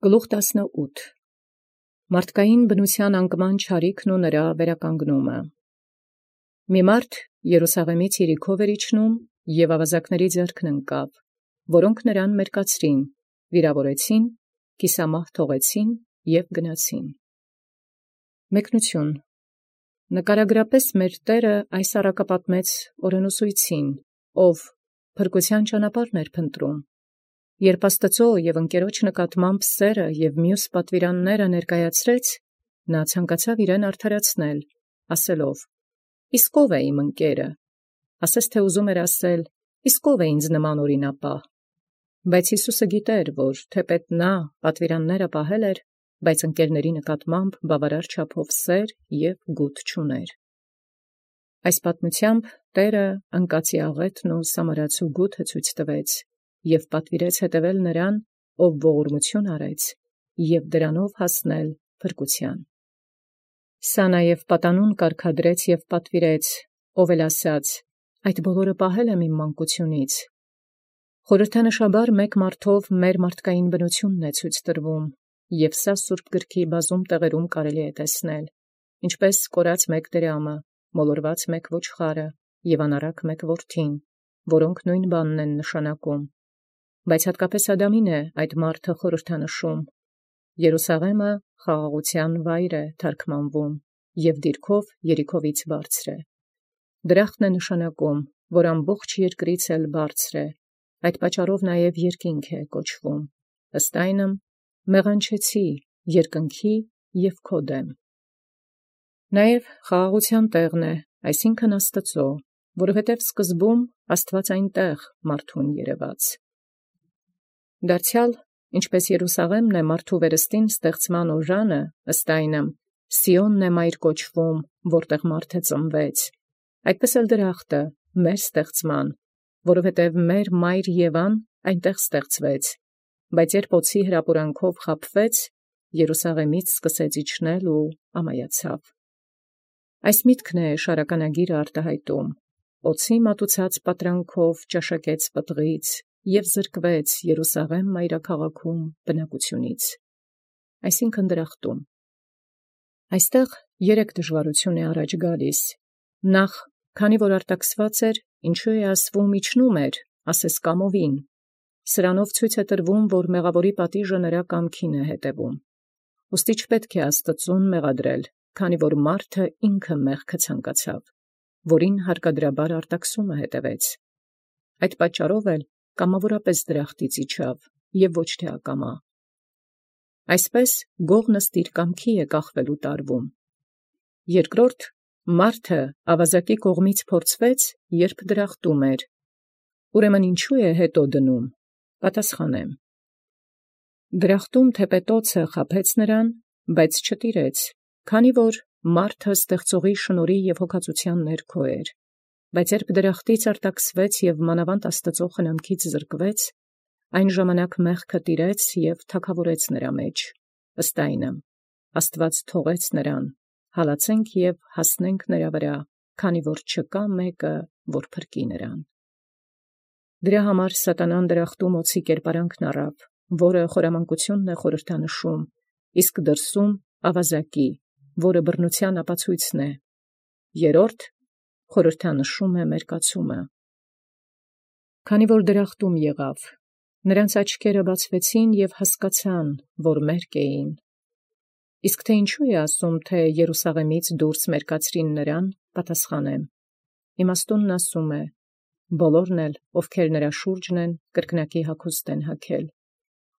Գլուխ 18 Մարդկային բնութեան անկման չարիքն ու նրա վերականգնումը։ Մի մարդ Երուսաղեմից Երիքով իջնում և ավազակների ձեռքն ընկավ, որոնք նրան մերկացրին, վիրավորեցին, կիսամահ թողեցին և գնացին։ Մեկնություն Նկարագրապես մեր Տէրը այս առակապատմեց օրենուսույցին, ով փրկութեան ճանապարհն էր փնտրում, երբ Աստուծոյ և ընկերոջ նկատմամբ սերը և մյուս պատվիրանները ներկայացրեց, նա ցանկացավ իրեն արդարացնել, ասելով. «Իսկ ո՞վ է իմ ընկերը», ասես թե ուզում էր ասել. «Իսկ ո՞վ է ինձ նման օրինապահ»։ Բայց Յիսուսը գիտէր, որ թեպետ նա պատվիրանները պահել էր, բայց ընկերների նկատմամբ բավարար չափով սեր և գութ չուներ։ Այս պատմությամբ Տէրը անկացի աղեթն ու սամարացու գութը ցույց տվեց և պատվիրեց հետևել նրան, ով ողորմություն արեց, և դրանով հասնել փրկութեան։ Սա նաև պատանուն կարգադրեց և պատվիրեց, ով էլ ասաց. «Այդ բոլորը պահել եմ իմ մանկությունից»։ Խորհրդանշաբար մեկ մարդով մեր մարդկային բնությունն է ցույց տրվում, և սա Սուրբ գրքի բազում տեղերում կարելի է տեսնել, ինչպես կորած մեկ դրամը, մոլորված մեկ ոչխարը և անառակ մեկ որդին, որոնք նույն բանն են նշանակում, բայց հատկապես Ադամին է այդ մարդը խորհրդանշում։ Երուսաղեմը խաղաղութեան վայր է թարգմանվում և դիրքով Երիքովից բարձր է։ Դրախտն է նշանակում, որ ամբողջ երկրից էլ բարձր է, այդ պատճառով նաև երկինք է կոչվում, ըստ այնմ մեղանչեցի երկնքի և քո դեմ։ Նաև խաղաղութեան տեղն է, այսինքն Աստծո, որովհետև սկզբում Աստված այնտեղ մարդուն երևաց։ Դարձյալ, ինչպես Երուսաղեմն է մարդու վերստին ստեղծման օժանը, ըստ այնմ Սիոնն է մայր կոչվում, որտեղ մարդը ծնվեց, այդպես էլ դրախտը մեր ստեղծման, որովհետև մեր մայր Եվան այնտեղ ստեղծվեց, բայց երբ օձի հրապուրանքով խաբվեց, Երուսաղեմից սկսեց իջնել ու ամայացավ։ Այս միտքն է շարականագիրը արտահայտում. օձի մատուցած պատրանքով ճաշակեց պտղից և զրկվեց Երուսաղեմ մայրաքաղաքում բնակությունից, այսինքն դրախտում։ Այստեղ 3 դժվարություն է առաջ գալիս. նախ, քանի որ արտաքսված էր, ինչու է ասվում իջնում էր, ասես կամովին, սրանով ցույց է տրվում, որ մեղավորի պատիժը նրա կամքին է հետևում։ Ուստի չպետք է Աստծուն մեղադրել, քանի որ մարդը ինքը մեղքը ցանկացավ, որին հարկադրաբար արտաքսումը հետևեց։ Այդ պատճառով էլ կամավորապես դրախտից իջավ և ոչ թե ակամա։ Այսպես գողն ըստ իր կամքի է կախվելու տարվում։ Երկրորդ, մարդը ավազակի կողմից փորձվեց, երբ դրախտում էր։ Ուրեմն ինչու է հետո դնում։ Պատասխանեմ. դրախտում թեպետոցը խաբեց նրան, բայց չտիրեց, քանի որ մարդը ստեղծողի շնորհի և հոգածության ներքո էր, բայց երբ դրախտից արտաքսվեց և մանավանդ Աստծո խնամքից զրկվեց, այն ժամանակ մեղքը տիրեց և թագավորեց նրա մեջ, ըստ այնմ Աստված թողեց նրան, հալածենք և հասնենք նրա վրա, քանի որ չկա մեկը, որ փրկի նրան։ Դրա համար սատանան դրախտում օձի կերպարանքն առավ, որը խորամանկությունն է խորհրդանշում, իսկ դրսում ավազակի, որը բռնության ապացույցն է։ Երրորդ խորհրդանշում է մերկացումը։ Քանի որ դրախտում եղավ, նրանց աչքերը բացվեցին և հասկացան, որ մերկ էին։ Իսկ թե ինչու է ասում, թե Երուսաղեմից դուրս մերկացրին նրան, պատասխանեմ. իմաստունն ասում է. բոլորն էլ, ովքեր նրա շուրջն են, կրկնակի հագուստ են հագել։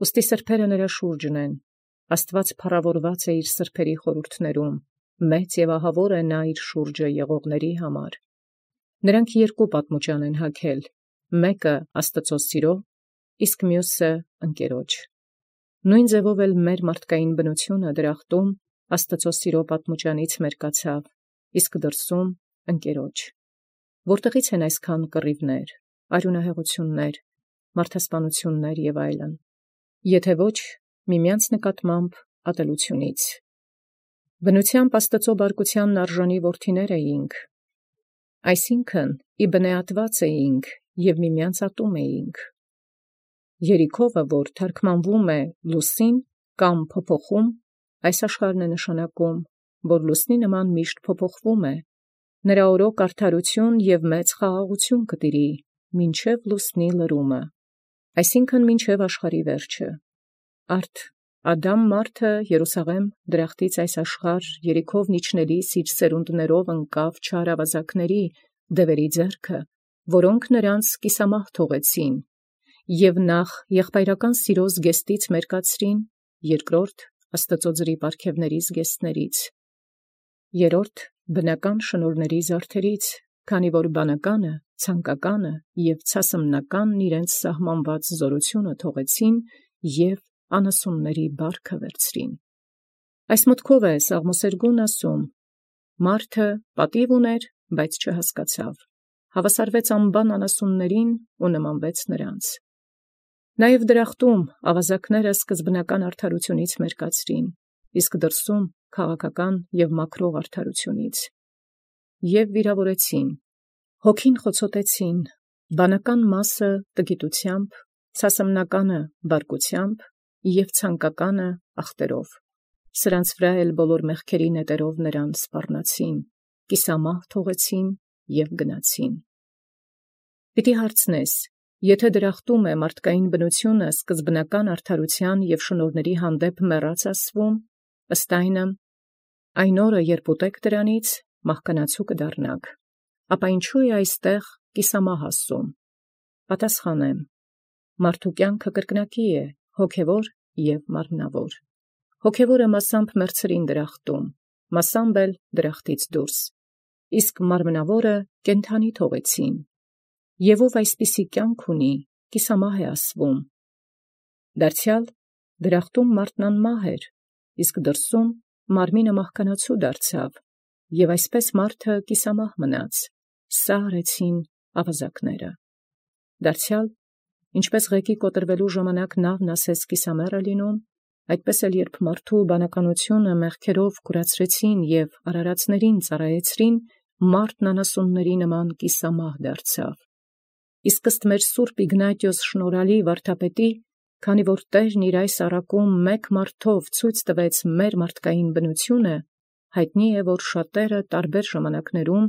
Ուստի սրբերը նրա շուրջն են, Աստված փառավորված է իր սրբերի խորհուրդներում, մեծ և ահավոր է նա իր շուրջը եղողների համար։ Նրանք 2 պատմուճան են հագել, մեկը Աստծո սիրո, իսկ մյուսը ընկերոջ։ Նույն ձևով էլ մեր մարդկային բնությունը դրախտում Աստծո սիրո պատմուճանից մերկացավ, իսկ դրսում ընկերոջ։ Որտեղից են այսքան կռիվներ, արյունահեղություններ, մարդասպանություններ և այլն, եթե ոչ միմյանց նկատմամբ ատելությունից։ Բնությամբ Աստծո բարկությանն արժանի որդիներ էինք, այսինքն ի բնեատված էինք և միմյանց ատում էինք։ Երիքովը, որ թարգմանվում է Լուսին կամ փոփոխում, այս աշխարհն է նշանակում, որ լուսնի նման միշտ փոփոխվում է, նրա օրոք արդարություն և մեծ խաղաղություն կտիրի, մինչև լուսնի լրումը, այսինքն մինչև աշխարհի վերջը, արդ Ադամ մարդը Երուսաղեմ դրախտից այս աշխարհ երիքով իջնելիս իր սերունդներով ընկավ չար ավազակների դևերի ձեռքը, որոնք նրանց կիսամահ թողեցին, և նախ եղբայրական սիրո զգեստից մերկացրին, երկրորդ Աստծո ձրի պարգևների զգեստներից, երրորդ բնական շնորհների զարդերից, քանի որ բանականը, ցանկականը և ցասմնականն իրենց սահմանված զորությունը թողեցին և անասունների բարքը վերցրին։ Այս մտքով է Սաղմոսերգուն ասում. «Մարդը պատիվ ուներ, բայց չհասկացավ, հավասարվեց անբան անասուններին ու նմանվեց նրանց»։ Նաև դրախտում ավազակները սկզբնական արդարությունից մերկացրին, իսկ դրսում քաղաքական և մաքրող արդարությունից, և վիրավորեցին, հոգին խոցոտեցին, բանական մասը տգիտությամբ, ցասմնականը բարկությամբ և ցանկականը ախտերով, սրանց վրա էլ բոլոր մեղքերի նետերով նրան սպառնացին, կիսամահ թողեցին և գնացին։ Պիտի հարցնես, եթե դրախտում է մարդկային բնությունը սկզբնական արդարության և շնորհների հանդեպ մեռած ասվում, ըստ այն օրը, երբ ուտեք դրանից, մահկանացու կդառնաք, ապա ինչու է այստեղ կիսամահ ասում։ Պատասխանեմ. մարդու կյանքը կրկնակի է, հոգևոր և մարմնավոր։ Հոգևորը մասամբ մեռցրին դրախտում, մասամբ էլ դրախտից դուրս, իսկ մարմնավորը կենդանի թողեցին, և ով այսպիսի կյանք ունի, կիսամահ է ասվում։ Դարձյալ դրախտում մարդն անմահ էր, իսկ դրսում մարմինը մահկանացու դարձավ, և այսպես մարդը կիսամահ մնաց, սա արեցին ավազակները։ Դարձյալ, ինչպես ղեկի կոտրվելու ժամանակ նավն ասես կիսամեռ է լինում, այդպես էլ երբ մարդու բանականությունը մեղքերով կուրացրեցին և արարածներին ծառայեցրին, մարդն անասունների նման կիսամահ դարձավ։ Իսկ ըստ մեր սուրբ Իգնատիոս շնորհալի վարդապետի, քանի որ Տերն իր այս առակում մեկ մարդով ցույց տվեց մեր մարդկային բնությունը, հայտնի է, որ շատերը տարբեր ժամանակներում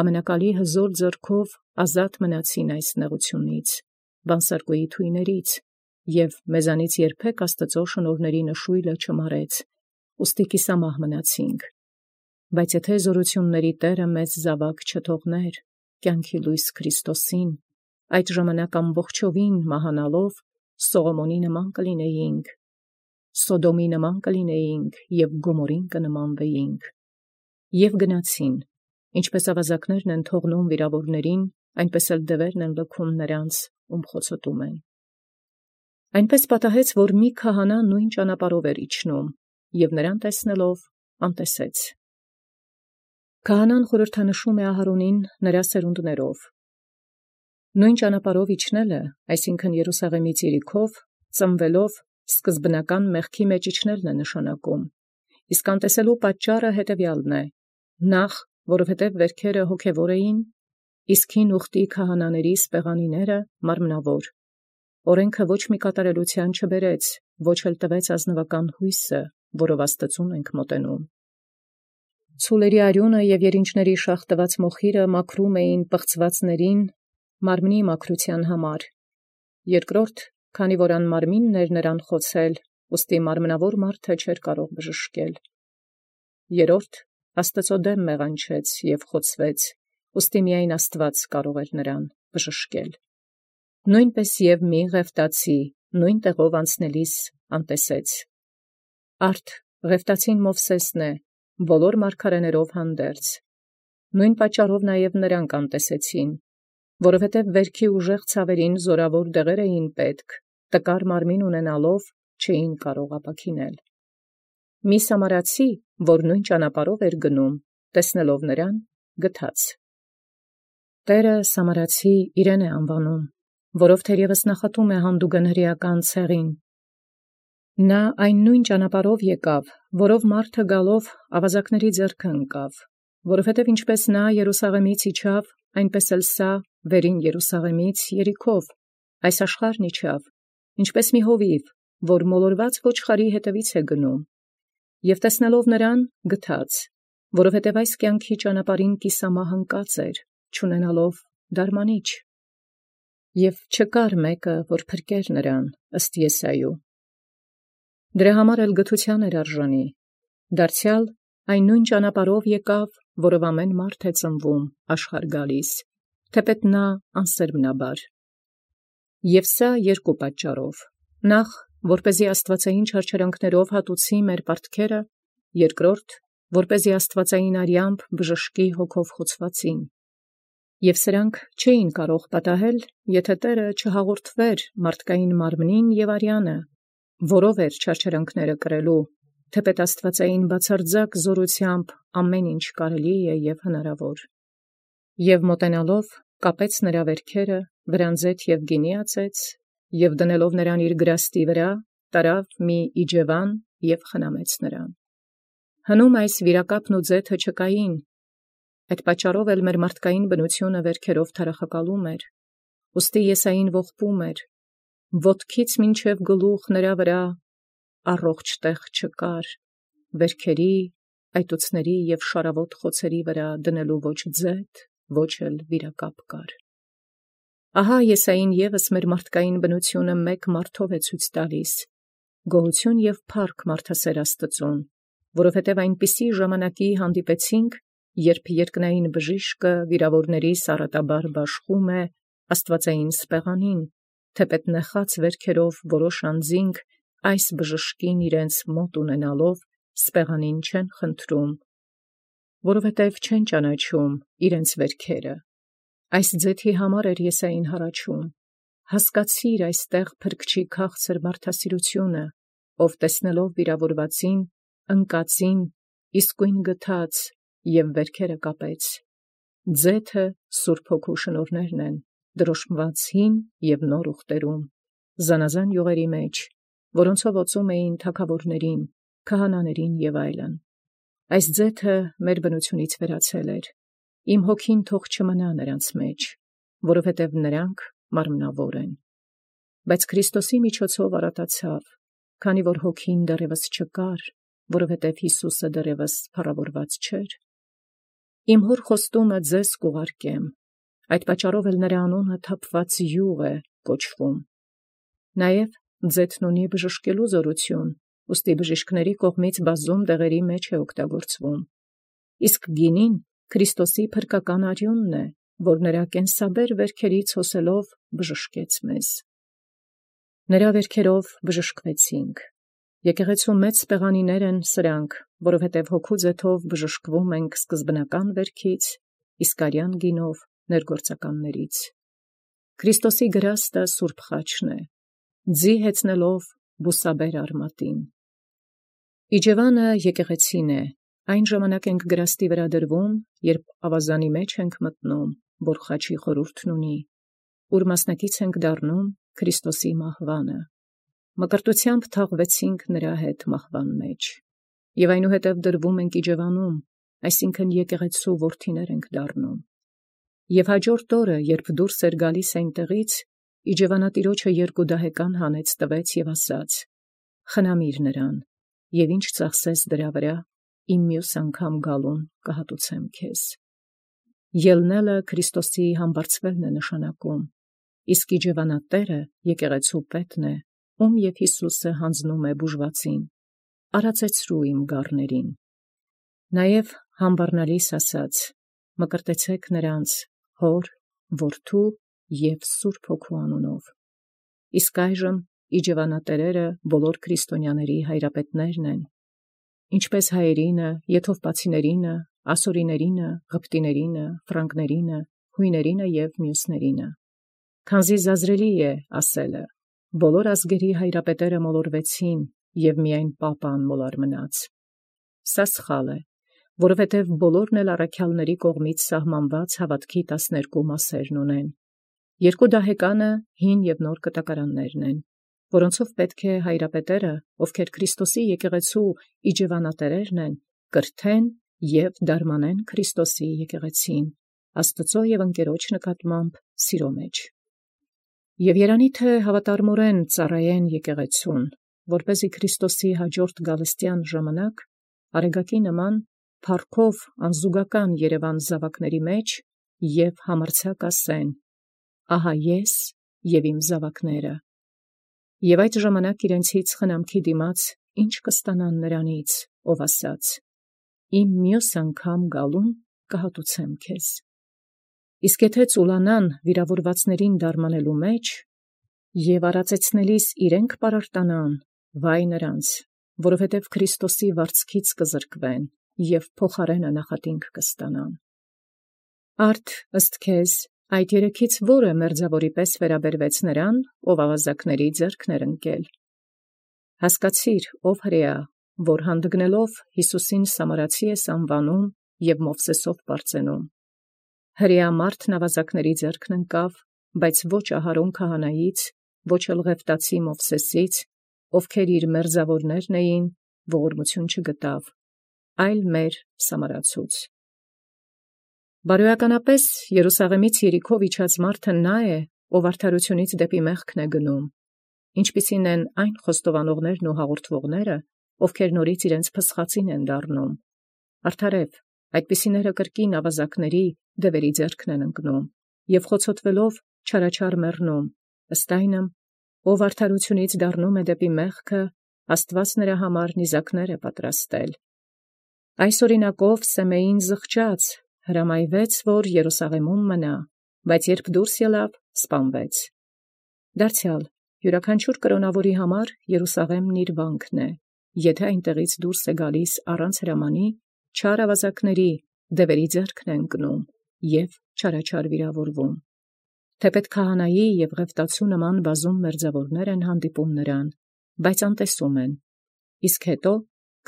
ամենակալի հզոր ձեռքով ազատ մնացին այս նեղությունից, բանսարկուի թույներից, և մեզանից երբեք Աստծո շնորհների նշույլը չմարեց, ուստի կիսամահ մնացինք։ Բայց եթե զորությունների Տերը մեզ զավակ չթողներ, կյանքի լույս Քրիստոսին, այդ ժամանակ ամբողջովին մահանալով Սողոմոնի նման կլինեինք, Սոդոմի նման կլինեինք և Գոմորին կնմանվեինք։ Եվ գնացին, ինչպես ավազակներն են թողնում վիրավորներին, այնպես էլ դևերն են լքում նրանց, ում խոցոտում են։ Այնպես պատահեց, որ մի քահանա նույն ճանապարհով էր իջնում, և նրան տեսնելով անտեսեց։ Քահանան խորհրդանշում է Ահարոնին նրա սերունդներով։ Նույն ճանապարհով իջնելը, այսինքն Երուսաղեմից Երիքով, ծնվելով սկզբնական մեղքի մեջ իջնելն է նշանակում, իսկ անտեսելու պատճառը հետևյալն է. նախ, որովհետև վերքերը հոգևոր էին, իսկ հին ուխտի քահանաների սպեղանիները մարմնավոր, օրենքը ոչ մի կատարելության չբերեց, ոչ էլ տվեց ազնվական հույսը, որով Աստծուն ենք մոտենում։ Ցուլերի արյունը և երինչների շաղտված մոխիրը մաքրում էին պղծվածներին մարմնի մաքրության համար, երկրորդ, քանի որ անմարմինն էր նրան խոցել, ուստի մարմնավոր մարդը չէր կարող բժշկել, երրորդ, Աստծո դեմ մեղանչեց և խոցվեց, ուստի միայն Աստված կարող էր նրան բժշկել։ Նույնպես և մի ղևտացի նույն տեղով անցնելիս անտեսեց։ Արդ ղևտացին Մովսեսն է, բոլոր մարգարեներով հանդերձ։ Նույն պատճառով նաև նրանք անտեսեցին, որովհետև վերքի ուժեղ ցավերին զորավոր դեղեր էին պետք, տկար մարմին ունենալով չէին կարող ապաքինել։ Մի սամարացի, որ նույն ճանապարհով էր գնում, տեսնելով նրան, գթաց։ Տերը սամարացի իրեն է անվանում, որով թերևս նախատում է հանդուգն հրեական ցեղին։ Նա այն նույն ճանապարհով եկավ, որով մարդը գալով ավազակների ձեռքը ընկավ, որովհետև ինչպես նա Երուսաղեմից իջավ, այնպես էլ սա վերին Երուսաղեմից Երիքով այս աշխարհն իջավ, ինչպես մի հովիվ, որ մոլորված ոչխարի հետևից է գնում, և տեսնելով նրան գթաց, որովհետև այս կյանքի ճանապարհին կիսամահ ընկած էր, չունենալով դարմանիչ, և չկար մեկը, որ փրկեր նրան ըստ Եսայու։ Դրա համար էլ գթության էր արժանի, դարձյալ այն նույն ճանապարհով եկավ, որով ամեն մարդ է ծնվում աշխարհ գալիս, թեպետ նա անսերմնաբար։ Եվ սա երկու պատճառով. նախ, որպեսզի աստվածային չարչարանքներով հատուցի մեր պարտքերը, երկրորդ, որպեսզի աստվածային արյամբ բժշկի հոգով խոցվածին։ Եվ սրանք չէին կարող պատահել, եթե Տերը չհաղորդվեր մարդկային մարմնին և արյանը, որով էր չարչարանքները կրելու, թեպետ աստվածային բացարձակ զորությամբ ամեն ինչ կարելի է և հնարավոր։ Եվ մոտենալով կապեց նրա վերքերը, վրանձեթ և գինի ածեց, և դնելով նրան իր գրաստի վրա, տարավ մի իջևան և խնամեց նրան։ Հնում այս վիրակապն ու ձեթը չկային, այդ պատճառով էլ մեր մարդկային բնությունը վերքերով թարախակալում էր, ուստի Եսային ողբում էր. ոտքից մինչև գլուխ նրա վրա առողջ տեղ չկար, վերքերի, այտուցների և շարավոտ խոցերի վրա դնելու ոչ ձեթ, ոչ էլ վիրակապ կար։ Ահա Եսային ևս մեր մարդկային բնությունը մեկ մարդով է ցույց տալիս, գոհություն և փառք մարդասեր Աստծուն, որովհետև այնպիսի ժամանակի հանդիպեցինք, երբ երկնային բժիշկը վիրավորների սառատաբար բաշխում է աստվածային սպեղանին, թեպետ նեխած վերքերով որոշ անձինք այս բժշկին իրենց մոտ ունենալով սպեղանին չեն խնդրում, որովհետև չեն ճանաչում իրենց վերքերը։ Այս ձեթի համար էր Եսային հառաչում. հասկացիր այստեղ փրկչի քաղցր մարդասիրությունը, ով տեսնելով վիրավորվածին, ընկածին, իսկույն գթաց և վերքերը կապեց։ Ձեթը Սուրբ Հոգու շնորհներն են, դրոշմված հին և նոր ուխտերում, զանազան յուղերի մեջ, որոնցով օծում էին թագավորներին, քահանաներին և այլն։ Այս ձեթը մեր բնությունից վերացել էր, իմ հոգին թող չմնա նրանց մեջ, որովհետև նրանք մարմնավոր են։ Բայց Քրիստոսի միջոցով առատացավ, քանի որ հոգին դեռևս չկար, որովհետև Հիսուսը դեռևս փառավորված չէր։ Իմ հոր խոստումը ձեզ կուղարկեմ, այդ պատճառով էլ նրա անունը թափված յուղ է կոչվում։ Նաև ձեթն ունի բժշկելու զորություն, ուստի բժիշկների կողմից բազում դեղերի մեջ է օգտագործվում։ Իսկ գինին Քրիստոսի փրկական արյունն է, որ նրա կենսաբեր վերքերից հոսելով բժշկեց մեզ։ Նրա վերքերով բժշկվեցինք։ Եկեղեցու մեծ սպեղանիներ են սրանք, որովհետև հոգու ձեթով բժշկվում ենք սկզբնական վերքից, իսկ արյան գինով ներգործականներից։ Քրիստոսի գրաստը սուրբ խաչն է, ձի հեծնելով բուսաբեր արմատին։ Իջևանը եկեղեցին է, այն ժամանակ ենք գրաստի վրա դրվում, երբ ավազանի մեջ ենք մտնում, որ խաչի խորհուրդն ունի, ուր մասնակից ենք դառնում Քրիստոսի մահվանը։ Մկրտությամբ թաղվեցինք նրա հետ մահվան մեջ, և այնուհետև դրվում ենք իջևանում, այսինքն եկեղեցու որդիներ ենք դառնում։ Եվ հաջորդ օրը, երբ դուրս էր գալիս այնտեղից, իջևանատիրոջը երկու դահեկան հանեց տվեց և ասաց. խնամիր նրան, և ինչ ծախսես դրա վրա, իմ մյուս անգամ գալուն կհատուցեմ քեզ։ Ելնելը Քրիստոսի համբարձվելն է նշանակում, իսկ իջևանատերը եկեղեցու պետն է, ում և Հիսուսը հանձնում է բուժվածին. արածեցրու իմ գառներին։ Նաև համբառնալիս ասաց. մկրտեցեք նրանց Հոր, Որդու և Սուրբ Հոգու անունով։ Իսկ այժմ իջևանատերերը բոլոր քրիստոնյաների հայրապետներն են, ինչպես հայերինը, եթովպացիներինը, ասորիներինը, ղպտիներինը, ֆրանկներինը, հույներինը և մյուսներինը։ Քանզի զազրելի է ասելը. բոլոր ազգերի հայրապետերը մոլորվեցին, և միայն Պապը անմոլար մնաց։ Սա սխալ է, որովհետև բոլորն էլ առաքյալների կողմից սահմանված հավատքի 12 մասերն ունեն։ Երկու դահեկանը հին և նոր կտակարաններն են, որոնցով պետք է հայրապետերը, ովքեր Քրիստոսի եկեղեցու իջևանատերերն են, կրթեն և դարմանեն Քրիստոսի եկեղեցին, Աստծո և ընկերոջ նկատմամբ սիրո մեջ։ Եվ երանի թե հավատարմորեն ծառայեն եկեղեցուն, որպեսզի Քրիստոսի հաջորդ գալստյան ժամանակ արեգակի նման փառքով անզուգական երևան զավակների մեջ և համարձակ ասեն. «Ահա ես և իմ զավակները»։ Եւ այդ ժամանակ իրենցից խնամքի դիմաց ինչ կստանան նրանից, ով ասաց. «Իմ մյուս անգամ գալուն կհատուցեմ քեզ»։ Իսկ եթե ծուլանան վիրավորվածներին դարմանելու մեջ և արածեցնելիս իրենք պարարտանան, վայ նրանց, որովհետև Քրիստոսի վարձքից կզրկվեն և փոխարենը նախատինք կստանան։ Արդ ըստ քեզ այդ երեքից որը մերձավորի պես վերաբերվեց նրան, ով ավազակների ձեռքն ընկել։ Հասկացիր, ով հրեա, որ հանդգնելով Հիսուսին Սամարացի ես անվանում և Մովսեսով պարծենում։ Հրեա մարդն ավազակների ձեռքն ընկավ, բայց ոչ Ահարոն քահանայից, ոչ էլ Ղևտացի Մովսեսից, ովքեր իր մերձավորներն էին, ողորմություն չգտավ, այլ մեր Սամարացուց։ Բարոյականապես Երուսաղեմից Երիքով իջած մարդը նա է, ով արդարութենից դեպի մեղքն է գնում, ինչպիսին են այն խոստովանողներն ու հաղորդվողները, ովքեր նորից իրենց փսխածին են դառնում։ Արդարև, այդպիսիները կրկին ավազակների դևերի ձեռքն են ընկնում և խոցոտվելով չարաչար մեռնում, ըստ այնմ, ով արդարութենից դառնում է դեպի մեղքը, Աստված նրա համար նիզակներ է պատրաստել։ Այս օրինակով Սեմեին զղջաց, հրամայվեց, որ Երուսաղեմում մնա, բայց երբ դուրս ելավ, սպանվեց։ Դարձյալ յուրաքանչյուր կրոնավորի համար Երուսաղեմն իր վանքն է, եթե այնտեղից դուրս է գալիս առանց հրամանի, չար ավազակների դևերի ձեռքն է ընկնում և չարաչար վիրավորվում։ Թեպետ քահանայի և Ղևտացու նման բազում մերձավորներ են հանդիպում նրան, բայց անտեսում են, իսկ հետո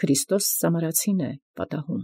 Քրիստոս Սամարացին է պատահում։